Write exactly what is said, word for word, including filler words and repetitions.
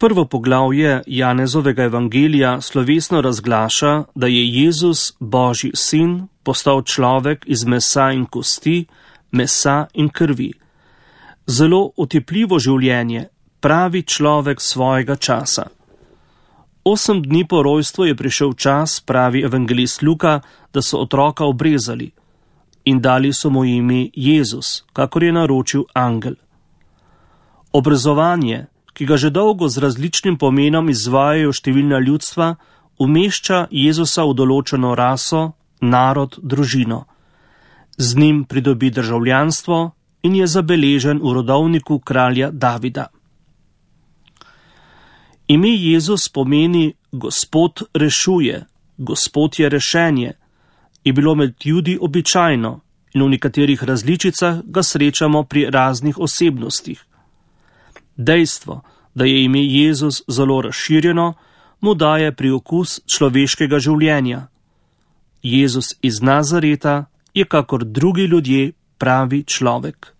Prvo poglavje Janezovega evangelija slovesno razglaša, da je Jezus, Božji sin, postal človek iz mesa in kosti, mesa in krvi. Zelo otepljivo življenje, pravi človek svojega časa. Osem dni po rojstvu je prišel čas, pravi evangelist Luka, da so otroka obrezali in dali so mu ime Jezus, kakor je naročil angel. Obrezovanje, ki ga že dolgo z različnim pomenom izvajajo številna ljudstva, umešča Jezusa v določeno raso, narod, družino. Z njim pridobi državljanstvo in je zabeležen v rodovniku kralja Davida. Ime Jezus pomeni Gospod rešuje, Gospod je rešenje, je bilo med Judi običajno in v nekaterih različicah ga srečamo pri raznih osebnostih. Dejstvo, da je ime Jezus zelo razširjeno, mu daje priokus človeškega življenja. Jezus iz Nazareta je kakor drugi ljudje pravi človek.